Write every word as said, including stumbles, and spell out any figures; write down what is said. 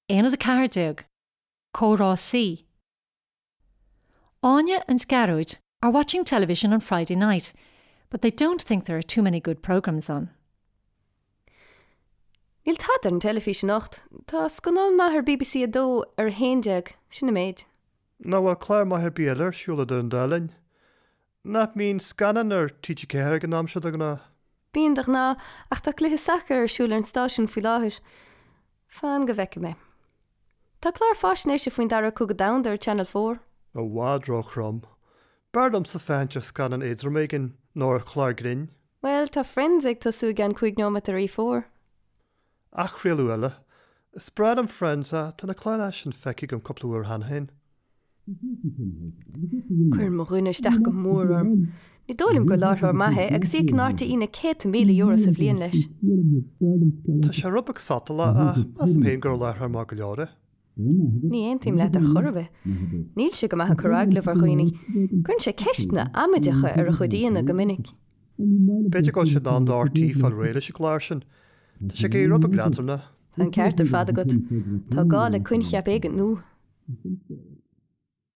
Aonad a ceathair déag. Comhrá C. Áine and Gearóid are watching television on Friday night, but they don't think there are too many good programmes on. Níl tada ar an teilifís anocht, Tá scannán maith ar BBC a dó ar a haon déag, sin an méid. Nach bhfuil clár maith ar bith eile ar siúl idir an dá linn? Nach mbíonn scannán ar TG Ceathair ag an am seo de ghnáth? Bíonn de ghnáth ach tá cluiche sacair ar siúl ar an stáisiún faoi láthair. Fan go bhfeicfidh mé. Tá clár faisnéise faoin dara cogadh domhanda ar Channel Four. I bhfad róthrom. B'fhearr liomsa féachaint ar scannán éadrom éigin nó ar chlár grinn. Well, tá Friends ag tosú i gceann cúig nóiméad ar E Four. Athchraoladh eile. Is breá liom Friends ach tá na cláir sin feicthe agam cúpla uair cheana féin. Cuireann mo dhuine isteach go mór orm. Ní dóigh liom gur láithreoir maith é agus íocann RTÉ na céadta míle euro sa bhliain leis. Tá sé rud beag sotalach ach measaim féin gur láithreoir maith go leor é. Ní aontaím leat ar chor ar bith. Níl sé go maith ag cur agallamh ar dhaoine. Cuireann sé ceisteanna amaideacha ar a chuid aíonna go minic. B'fhéidir go bhfuil sé in am do RTÉ fáil réidh leis an gclár sin. Tá sé ag éirí rud beag leadránach. Tá an ceart ar fad agat. Tá gá le coincheap éigin nua.